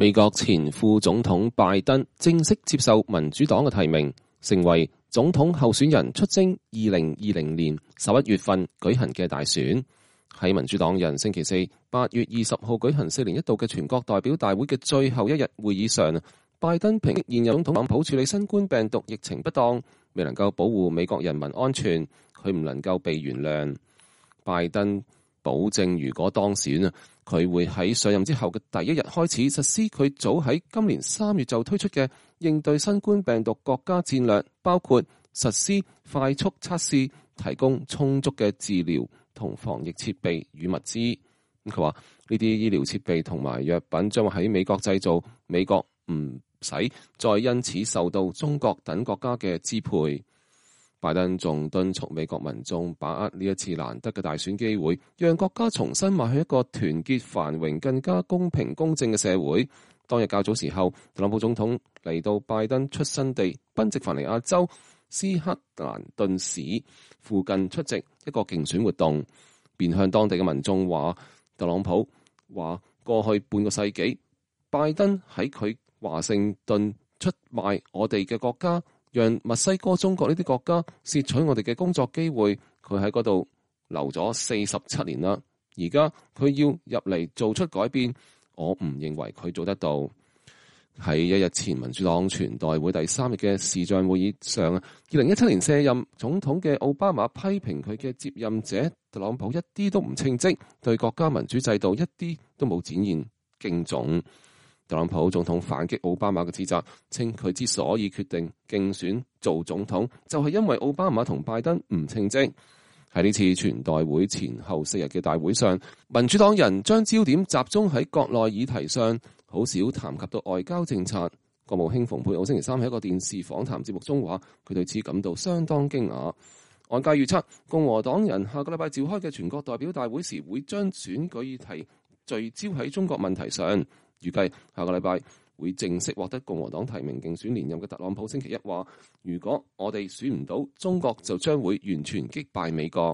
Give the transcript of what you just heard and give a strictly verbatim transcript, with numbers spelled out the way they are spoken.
美國前副總統拜登正式接受民主黨嘅提名，成為總統候選人出征二零二零年十一月份舉行嘅大選。喺民主黨人星期四八月二十號舉行四年一度嘅全國代表大會嘅最後一日會議上，拜登抨擊現任總統特朗普處理新冠病毒疫情不當，未能夠保護美國人民安全，佢唔能夠被原諒。拜登保證如果當選啊，佢會喺上任之後嘅第一日開始實施佢早喺今年三月就推出嘅應對新冠病毒國家戰略，包括實施快速測試、提供充足嘅治療同防疫設備與物資。佢話呢啲醫療設備同埋藥品將會喺美國製造，美國唔使再因此受到中國等國家嘅支配。拜登仲敦促美國民眾把握呢一次難得嘅大選機會，讓國家重新邁去一個團結、繁榮、更加公平公正嘅社會。當日較早時候，特朗普總統嚟到拜登出生地賓夕凡尼亞州斯克蘭頓市附近出席一個競選活動，便向當地嘅民眾話，特朗普話過去半個世紀，拜登喺佢華盛頓出賣我哋嘅國家，讓墨西哥、中國呢啲國家竊取我哋嘅工作機會，佢喺嗰度留咗四十七年啦。而家佢要入嚟做出改變，我唔認為佢做得到。喺一日前民主黨全代會第三日嘅視像會議上，二零一七年卸任總統嘅奧巴馬批評佢嘅接任者特朗普一啲都唔稱職，對國家民主制度一啲都冇展現敬重。特朗普總統反擊奧巴馬嘅指責，稱佢之所以決定競選做總統，就係因為奧巴馬同拜登唔稱職。喺呢次全代會前後四日嘅大會上，民主黨人將焦點集中喺國內議題上，好少談及到外交政策。國務卿蓬佩奧星期三喺一個電視訪談節目中話，佢對此感到相當驚訝。外界預測，共和黨人下個禮拜召開嘅全國代表大會時，會將選舉議題聚焦喺中國問題上。預計下個禮拜會正式獲得共和黨提名競選連任嘅特朗普星期一話，如果我哋選唔到，中國就將會完全擊敗美國。